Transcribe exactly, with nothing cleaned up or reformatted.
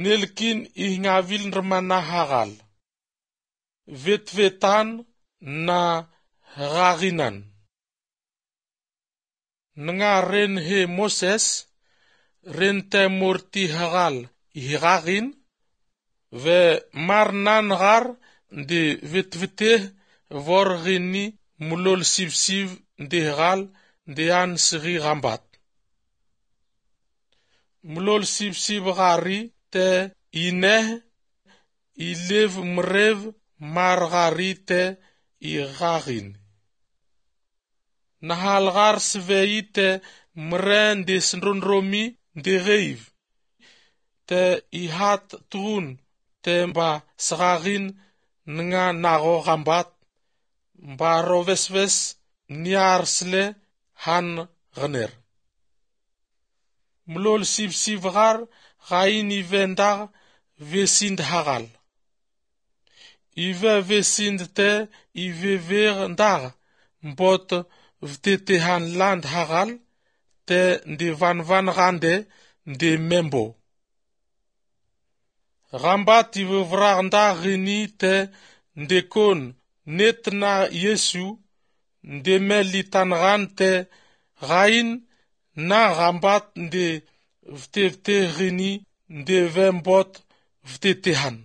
Nelkin ihngavil nrmana hagal. Vetvetan na hgaghinan. Nga ren he Moses, ren te morti hagal ihgaghin, ve mar nan ghar nde vetvete vor ghini mlol sivsiv nde ghal nde an sghi ghambat. Mlol sivsiv ghari te ineh ilev mrev mar ghari te ighaghin. Nahal ghar sveyi te mre nde sndrondromi nde gheiv, te ihat tughun te mba sghaghin nga nagho ghambat, mba ro vesves niar sle han ghner. Mlol sivsiv ghar ghayin ive ndagh vesind hagal. Ive vesind te ivevegh ndagh mbot vtetehan land hagal te nde vanvan ghande nde membo. Ghambat ivevragh ndagh ghini te ndekon net na Yesu nde me litan ghan te ghayin na ghambat nde vtevte ghini nde ve mbot vtetehan.